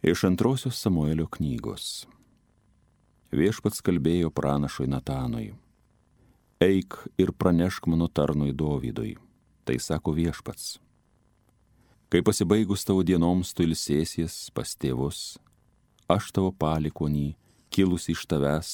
Iš antrosios Samuelio knygos. Viešpats kalbėjo pranašui Natanui. Eik ir pranešk mano tarnui Dovydui. Tai sako Viešpats. Kai pasibaigus tavo dienoms tu ilsėsies pas tėvus, aš tavo palikonį, kilusi iš tavęs,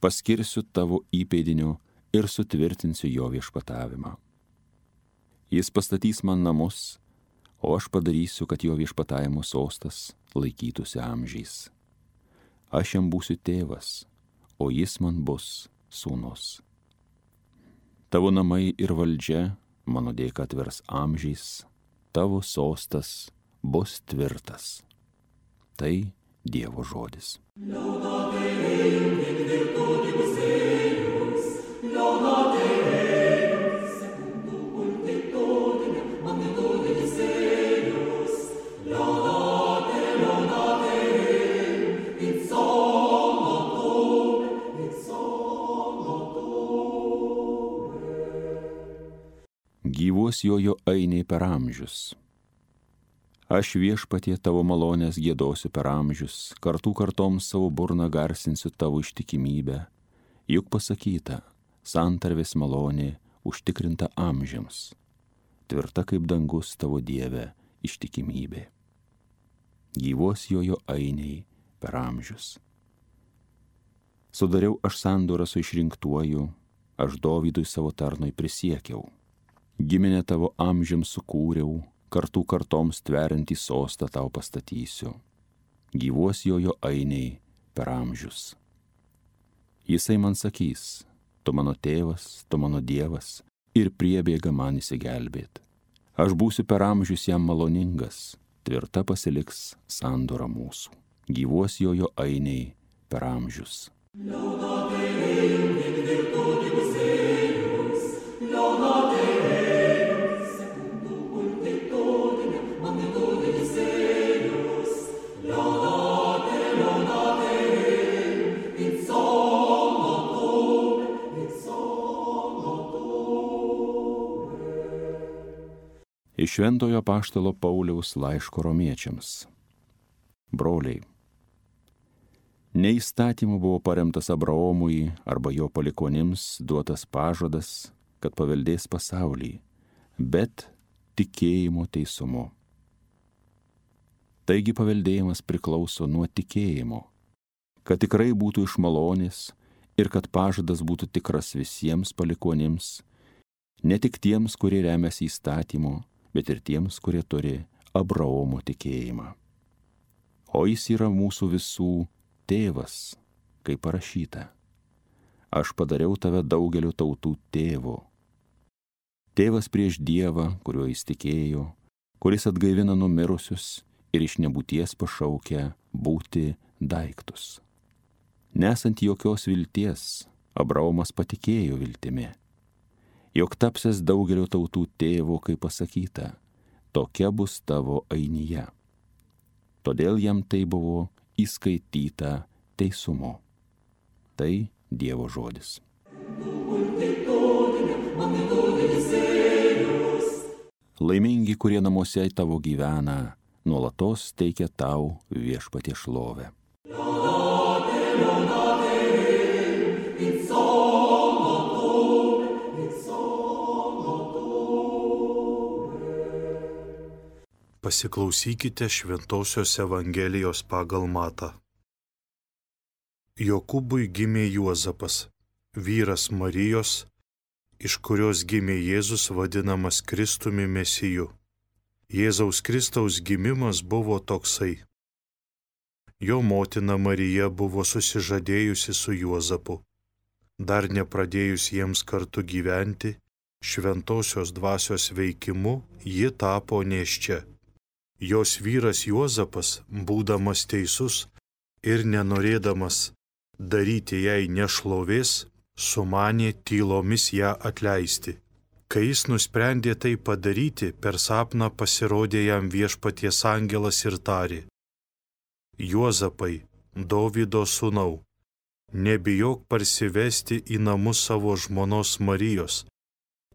paskirsiu tavo įpėdiniu ir sutvirtinsiu jo viešpatavimą. Jis pastatys man namus, o aš padarysiu, kad jo viešpatavimo sostas laikytųsi amžiais. Aš jam būsiu tėvas, o jis man bus sūnus. Tavo namai ir valdžia mano dėka atvers amžiais, tavo sostas bus tvirtas. Tai Dievo žodis. Gyvuos jojo ainiai per amžius. Aš Viešpatie tavo malonės giedosiu per amžius, kartų kartoms savo burną garsinsiu tavo ištikimybę. Juk pasakyta, santarvės malonė užtikrinta amžiams, tvirta kaip dangus tavo Dieve ištikimybė. Gyvuos jojo ainiai per amžius. Sudariau aš sandorą su išrinktuoju, aš Dovydui savo tarnui prisiekiau. Giminę tavo amžiams sukūriau, kartų kartoms tveriantį sostą tau pastatysiu. Gyvuos jojo ainiai per amžius. Jisai man sakys, tu mano tėvas, tu mano Dievas, ir priebėga man įsigelbėt. Aš būsiu per amžius jam maloningas, tvirta pasiliks sandora mūsų. Gyvuos jojo ainiai per amžius. Iš Šventojo apaštalo Pauliaus laiško romiečiams. Broliai, ne įstatymu buvo paremtas Abraomui arba jo palikonims duotas pažadas, kad paveldės pasaulį, bet tikėjimo teisumu. Taigi paveldėjimas priklauso nuo tikėjimo, kad tikrai būtų iš malonės ir kad pažadas būtų tikras visiems palikonims, ne tik tiems, kurie remiasi įstatymu, bet ir tiems, kurie turi Abraomo tikėjimą. O jis yra mūsų visų tėvas, kaip parašyta. Aš padariau tave daugelio tautų tėvu. Tėvas prieš Dievą, kuriuo jis tikėjo, kuris atgaivina numirusius ir iš nebūties pašaukia būti daiktus. Nesant jokios vilties, Abraomas patikėjo viltimi, jog tapsies daugelio tautų tėvu, kaip pasakyta, tokia bus tavo ainija. Todėl jam tai buvo įskaityta teisumu. Tai Dievo žodis. Laimingi, kurie namuose tavo gyvena, nuolatos teikia tau Viešpatie šlovę. Pasiklausykite Šventosios Evangelijos pagal Matą. Jokūbui gimė Juozapas, vyras Marijos, iš kurios gimė Jėzus vadinamas Kristumi Mesiju. Jėzaus Kristaus gimimas buvo toksai. Jo motina Marija buvo susižadėjusi su Juozapu. Dar nepradėjus jiems kartu gyventi, Šventosios dvasios veikimu ji tapo nėščia. Jos vyras Juozapas, būdamas teisus ir nenorėdamas daryti jai nešlovės, sumanė tylomis ją atleisti. Kai jis nusprendė tai padaryti, per sapną pasirodė jam Viešpaties angelas ir tarė: Juozapai, Dovydo sūnau, nebijok parsivesti į namus savo žmonos Marijos,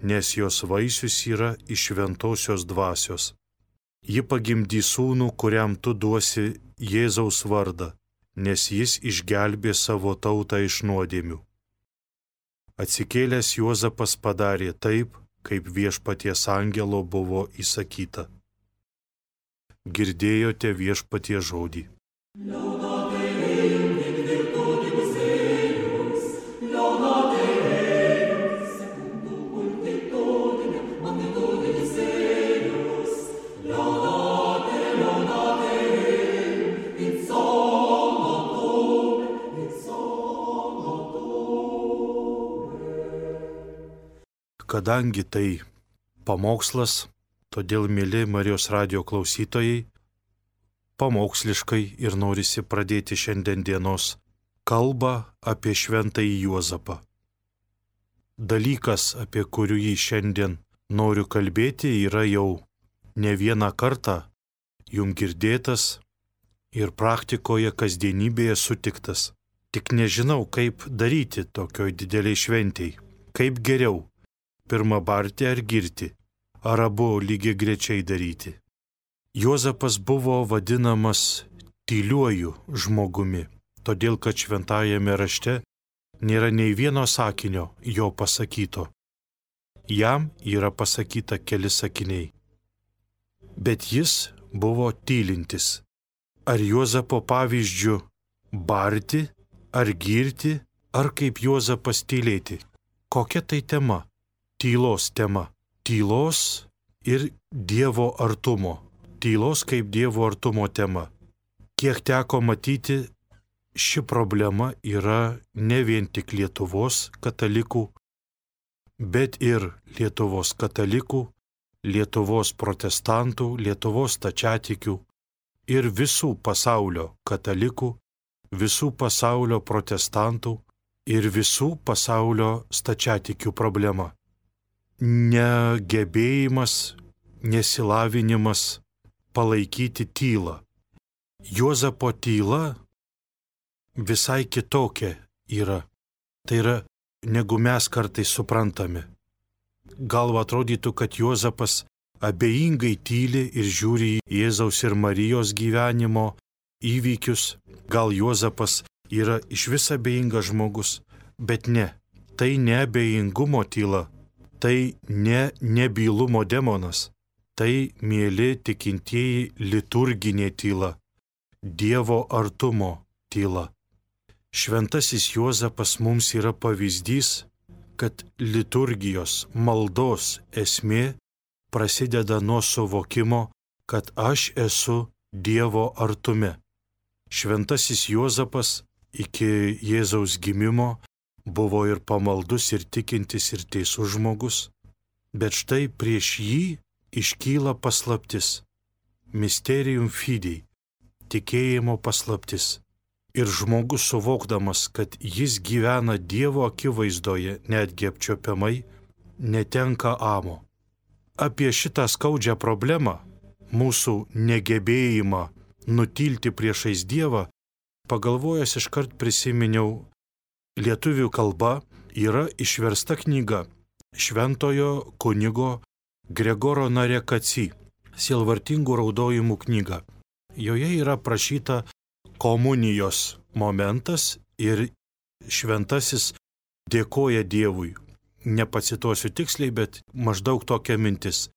nes jos vaisius yra iš šventosios dvasios. Ji pagimdys sūnų, kuriam tu duosi Jėzaus vardą, nes jis išgelbė savo tautą iš nuodėmių. Atsikėlęs Juozapas padarė taip, kaip viešpaties angelo buvo įsakyta. Girdėjote viešpaties žodį. Kadangi tai pamokslas, todėl, mėly Marijos radijo klausytojai, pamoksliškai ir norisi pradėti šiandien dienos kalbą apie šventąjį Juozapą. Dalykas, apie kurį šiandien noriu kalbėti, yra jau ne vieną kartą jum girdėtas ir praktikoje kasdienybėje sutiktas. Tik nežinau, kaip daryti tokioj dideliai šventėj, kaip geriau. Pirma barti ar girti, ar abu lygiai grečiai daryti. Juozapas buvo vadinamas tyliuoju žmogumi, todėl kad šventajame rašte nėra nei vieno sakinio jo pasakyto. Jam yra pasakyta keli sakiniai. Bet jis buvo tylintis. Ar Juozapo pavyzdžiu barti, ar girti, ar kaip Juozapas tylėti? Kokia tai tema? Tylos tema. Tylos ir Dievo artumo. Tylos kaip Dievo artumo tema. Kiek teko matyti, ši problema yra ne vien tik Lietuvos katalikų, bet ir Lietuvos katalikų, Lietuvos protestantų, Lietuvos stačiatikių ir visų pasaulio katalikų, visų pasaulio protestantų ir visų pasaulio stačiatikių problema. Negebėjimas, nesilavinimas palaikyti tylą. Juozapo tyla visai kitokia yra. Tai yra, negu mes kartais suprantame. Gal atrodytų, kad Juozapas abejingai tyli ir žiūri į Jėzaus ir Marijos gyvenimo įvykius. Gal Juozapas yra išvis abejingas žmogus, bet ne. Tai ne abejingumo tyla. Tai ne nebylumo demonas, tai mėly tikintieji liturginė tyla, Dievo artumo tyla. Šventasis Juozapas mums yra pavyzdys, kad liturgijos maldos esmė prasideda nuo suvokimo, kad aš esu Dievo artume. Šventasis Juozapas iki Jėzaus gimimo buvo ir pamaldus, ir tikintis, ir teisus žmogus, bet štai prieš jį iškyla paslaptis, mysterium fidei, tikėjimo paslaptis. Ir žmogus suvokdamas, kad jis gyvena Dievo akivaizdoje, netgi apčiuopiamai, netenka amo. Apie šitą skaudžią problemą, mūsų negebėjimą nutilti priešais Dievą, pagalvojęs iškart prisiminiau, lietuvių kalba yra išversta knyga šventojo kunigo Gregoro Narekaci, sielvartingų raudojimų knyga. Joje yra prašyta komunijos momentas ir šventasis dėkoja Dievui. Nepacituosiu tiksliai, bet maždaug tokia mintis.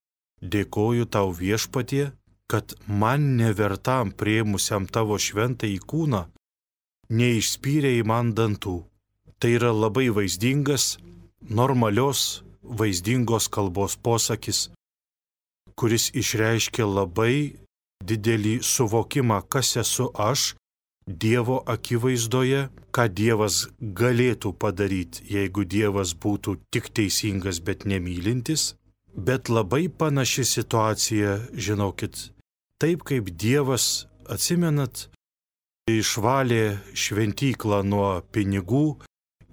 Dėkoju tau viešpatie, kad man nevertam priėmusiam tavo šventąjį kūną neišspyrei man dantų. Tai yra labai vaizdingas, normalios, vaizdingos kalbos posakis, kuris išreiškia labai didelį suvokimą, kas esu aš Dievo akivaizdoje, ką Dievas galėtų padaryti, jeigu Dievas būtų tik teisingas, bet nemylintis. Bet labai panaši situacija, žinokit, taip kaip Dievas, atsimenat, išvalė šventyklą nuo pinigų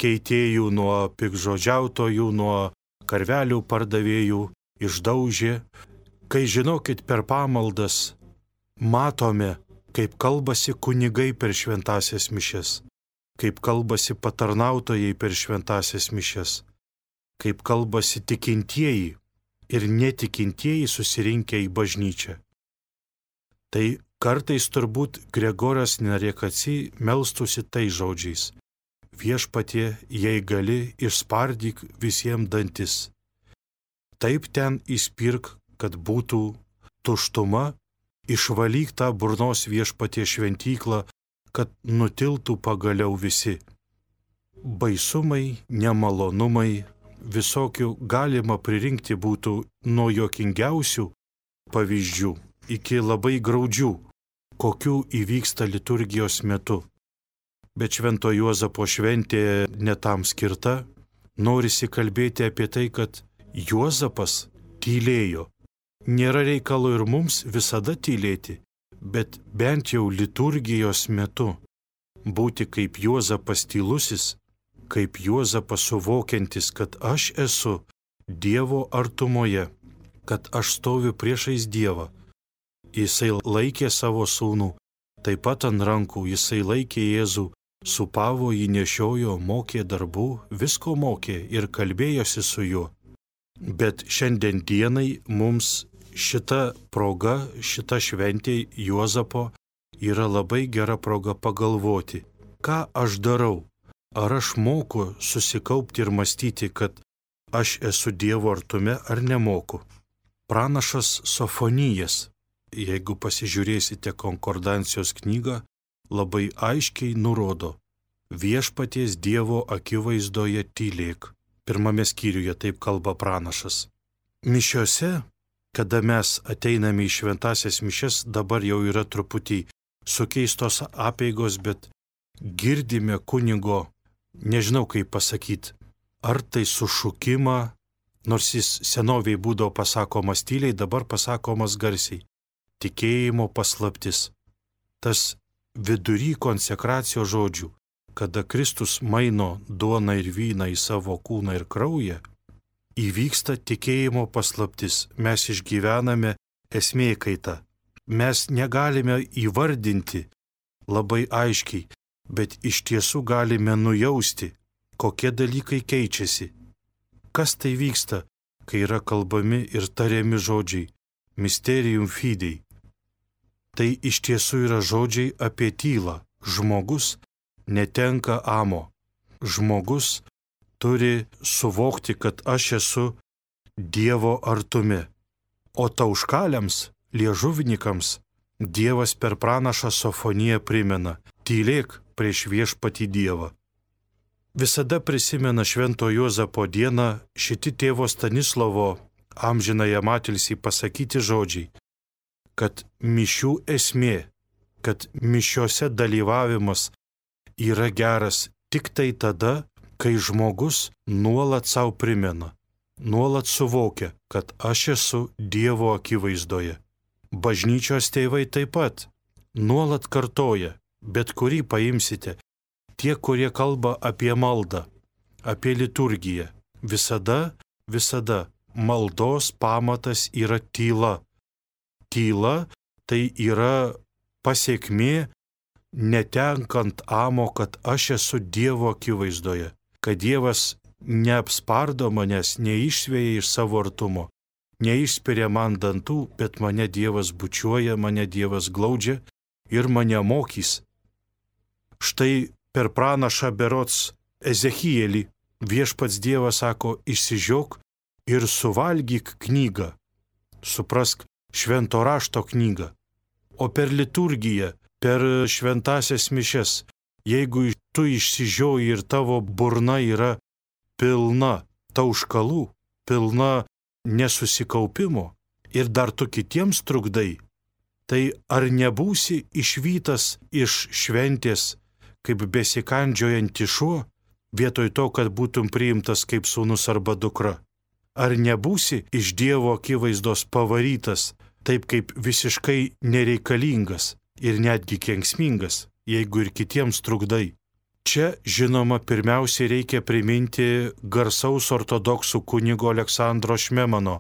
keitėjų, nuo piktžodžiautojų, nuo karvelių pardavėjų, išdaužė. Kai, žinokit, per pamaldas matome, kaip kalbasi kunigai per šventąsias mišias, kaip kalbasi patarnautojai per šventąsias mišias, kaip kalbasi tikintieji ir netikintieji susirinkę į bažnyčią. Tai Kartais turbūt Gregoras Nariekaci melstųsi tai žodžiais: Viešpatie, jei gali, išspardyk visiems dantis. Taip ten įspirk, kad būtų tuštuma, išvalyk tą burnos Viešpatie šventyklą, kad nutiltų pagaliau visi. Baisumai, nemalonumai, visokių galima pririnkti būtų nuo juokingiausių pavyzdžių iki labai graudžių, kokių įvyksta liturgijos metu. Bet Švento Juozapo šventė netam skirta, norisi kalbėti apie tai, kad Juozapas tylėjo. Nėra reikalo ir mums visada tylėti, bet bent jau liturgijos metu būti kaip Juozapas tylusis, kaip Juozapas suvokiantis, kad aš esu Dievo artumoje, kad aš stoviu priešais Dievą. Jisai laikė savo sūnų, taip pat ant rankų, jisai laikė Jėzų, supavo jį, nešiojo, mokė darbų, visko mokė ir kalbėjosi su juo. Bet šiandien dienai mums šita proga, šita šventė Juozapo yra labai gera proga pagalvoti, ką aš darau. Ar aš moku susikaupti ir mąstyti, kad aš esu Dievo artume, ar nemoku. Pranašas Sofonijas, jeigu pasižiūrėsite konkordancijos knygą, labai aiškiai nurodo: Viešpaties Dievo akivaizdoje tylėk. Pirmame skyriuje taip kalba pranašas. Mišiose, kada mes ateiname į šventasias mišias, dabar jau yra truputį sukeistos apeigos, bet girdime kunigo, nežinau kaip pasakyti, ar tai sušukimą, nors jis senoviai būdavo pasakomas tyliai, dabar pasakomas garsiai. Tikėjimo paslaptis. Tas vidury konsekracijos žodžių, kada Kristus maino duoną ir vyną į savo kūną ir kraują, įvyksta tikėjimo paslaptis. Mes išgyvename esmė kaitą. Mes negalime įvardinti labai aiškiai, bet iš tiesų galime nujausti, kokie dalykai keičiasi. Kas tai vyksta, kai yra kalbami ir tariami žodžiai Mysterium Fidei? Tai iš tiesų yra žodžiai apie tylą. Žmogus netenka amo. Žmogus turi suvokti, kad aš esu Dievo artume. O tauškaliams, liežuvnikams, Dievas per pranašą Sofoniją primena: tylėk prieš viešpatį Dievą. Visada prisimena Švento Juozapo dieną šiti tėvo Stanislovo amžinąjam atilsį pasakyti žodžiai, kad mišių esmė, kad mišiose dalyvavimas yra geras tik tai tada, kai žmogus nuolat savo primena, nuolat suvokia, kad aš esu Dievo akivaizdoje. Bažnyčios tėvai taip pat nuolat kartoja, bet kurį paimsite, tie, kurie kalba apie maldą, apie liturgiją, visada maldos pamatas yra tyla. Tyla tai yra pasiekmė netenkant amo, kad aš esu Dievo akivaizdoje, kad Dievas neapspardo manęs, neišsveja iš savo artumo, neišspiria man dantų, bet mane Dievas bučiuoja, mane Dievas glaudžia ir mane mokys. Štai per pranašą berods Ezechielį viešpats Dievas sako: išsižiok ir suvalgyk knygą, suprask švento rašto knygą. O per liturgiją, per šventasias mišias, jeigu tu išsižioji ir tavo burna yra pilna tauškalų, pilna nesusikaupimo ir dar tu kitiems trukdai, tai ar nebūsi išvytas iš šventės kaip besikandžiojanti šuo, vietoj to, kad būtum priimtas kaip sūnus arba dukra? Ar nebūsi iš Dievo akivaizdos pavarytas, taip kaip visiškai nereikalingas ir netgi kenksmingas, jeigu ir kitiems trukdai? Čia, žinoma, pirmiausiai reikia priminti garsaus ortodoksų kunigo Aleksandro Šmemano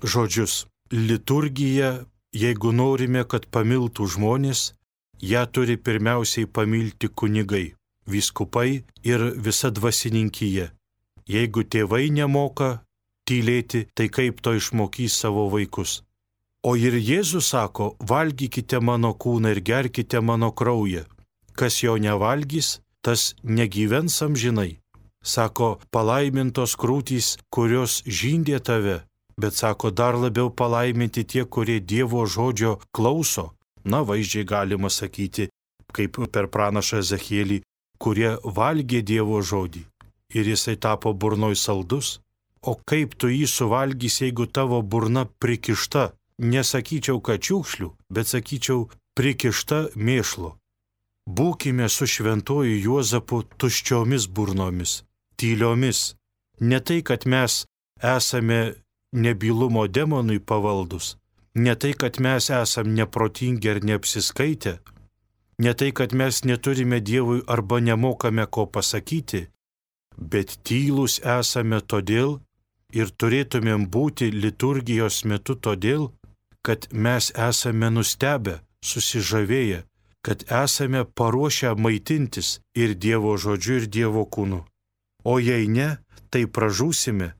žodžius. Liturgija, jeigu norime, kad pamiltų žmonės, ją turi pirmiausiai pamilti kunigai, vyskupai ir visa dvasininkija. Jeigu tėvai nemoka tylėti, tai kaip to išmokys savo vaikus? O ir Jėzus sako, valgykite mano kūną ir gerkite mano kraują. Kas jo nevalgys, tas negyvens amžinai. Sako, palaimintos krūtys, kurios žindė tave, bet sako, dar labiau palaiminti tie, kurie Dievo žodžio klauso. Na, vaizdžiai galima sakyti, kaip per pranašą Ezechielį, kurie valgė Dievo žodį. Ir jisai tapo burnoj saldus. O kaip tu jį suvalgysi, jeigu tavo burna prikišta? Nesakyčiau, kad čiukšlių, bet sakyčiau, prikišta mėšlo. Būkime su šventuoju Juozapu tuščiomis burnomis, tyliomis. Ne tai, kad mes esame nebylumo demonui pavaldus, ne tai, kad mes esame neprotingi ar neapsiskaitę, ne tai, kad mes neturime Dievui arba nemokame ko pasakyti, bet tylūs esame todėl ir turėtumėm būti liturgijos metu todėl, kad mes esame nustebę, susižavėję, kad esame paruošę maitintis ir Dievo žodžiu, ir Dievo kūnu. O jei ne, tai pražūsime.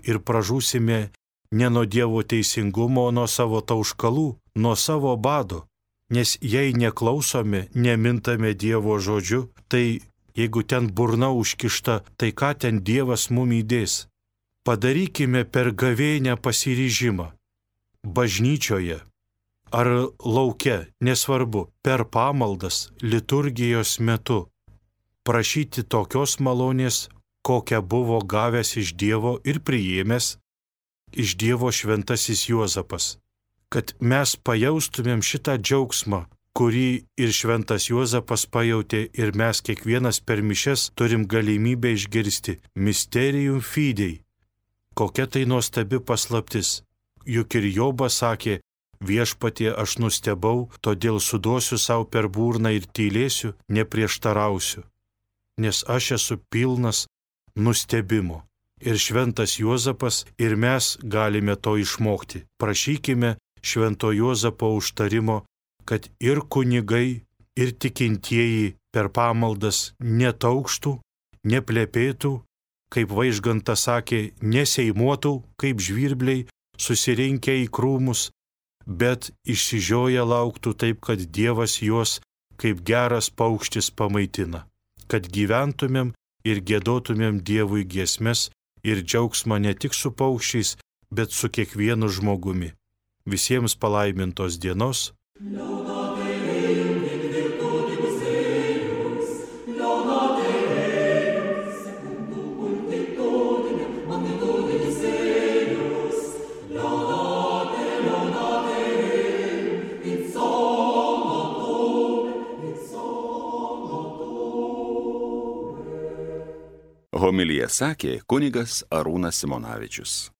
Ir pražūsime ne nuo Dievo teisingumo, o nuo savo tauškalų, nuo savo bado. Nes jei neklausome, nemintame Dievo žodžiu, tai jeigu ten burna užkišta, tai ką ten Dievas mum įdės? Padarykime per gavėnią pasiryžimą. Bažnyčioje ar lauke, nesvarbu, per pamaldas, liturgijos metu, prašyti tokios malonės, kokią buvo gavęs iš Dievo ir priėmęs iš Dievo šventasis Juozapas, kad mes pajaustumėm šitą džiaugsmą, kurį ir šventas Juozapas pajautė ir mes kiekvienas per mišias turim galimybę išgirsti Mysterium Fidei. Kokia tai nuostabi paslaptis. Juk ir Jobas sakė, viešpatie aš nustebau, todėl suduosiu savo per burną ir tylėsiu, neprieštarausiu. Nes aš esu pilnas nustebimo. Ir šventas Juozapas ir mes galime to išmokti. Prašykime švento Juozapo užtarimo, kad ir kunigai, ir tikintieji per pamaldas netaukštų, neplepėtų, kaip Vaižgantas sakė, neseimuotų kaip žvirbliai, susirinkę į krūmus, bet išsižioję lauktų taip, kad Dievas juos kaip geras paukštis pamaitina, kad gyventumėm ir giedotumėm Dievui giesmes ir džiaugsmą ne tik su paukščiais, bet su kiekvienu žmogumi. Visiems palaimintos dienos. Homiliją sakė kunigas Arūnas Simonavičius.